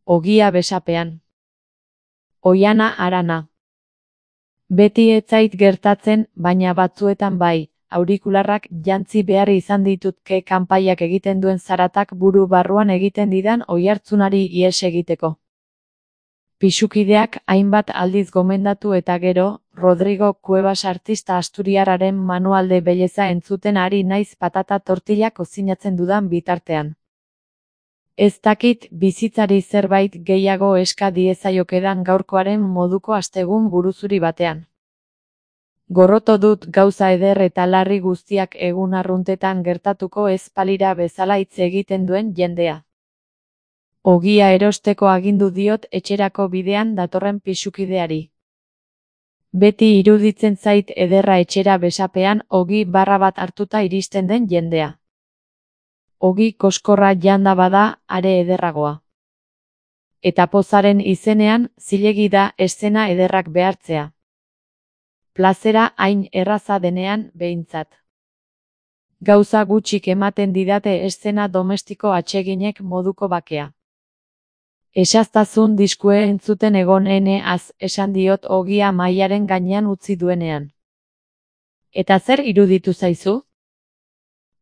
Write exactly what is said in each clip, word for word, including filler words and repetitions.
Ogia besapean. Oihana harana. Beti ez zait gertatzen, baina batzuetan bai, aurikularrak jantzi behar izan ditutke kanpaiak egiten duen zaratak buru barruan egiten didan oihartzunari ihes egiteko. Pisukideak hainbat aldiz gomendatu eta gero, Rodrigo Cuevas artista asturiarraren manualde beleza entzuten ari naiz patata tortilla kozinatzen dudan bitartean. Ez dakit bizitzari zerbait gehiago eska diezaiokedan gaurkoaren moduko astegun buruzuri batean. Gorroto dut gauza eder eta larri guztiak egun arruntetan gertatuko ez balira bezala hitz egiten duen jendea. Ogia erosteko agindu diot etxerako bidean datorren pisukideari. Beti iruditzen zait ederra etxera besapean ogi barra bat hartuta iristen den jendea. Ogi koskorra janda bada, are ederragoa. Eta pozaren izenean, zilegi da eszena ederrak behartzea. Plazera hain erraza denean, behintzat. Gauza gutxik ematen didate eszena domestiko atseginek moduko bakea. Esaztazun diskue entzuten egon ene az, esan diot ogia mahaiaren gainean utzi duenean. Eta zer iruditu zaizu?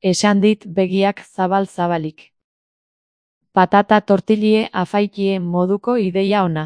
Esan dit begiak zabal-zabalik. Patata tortillie afaikie moduko ideia ona.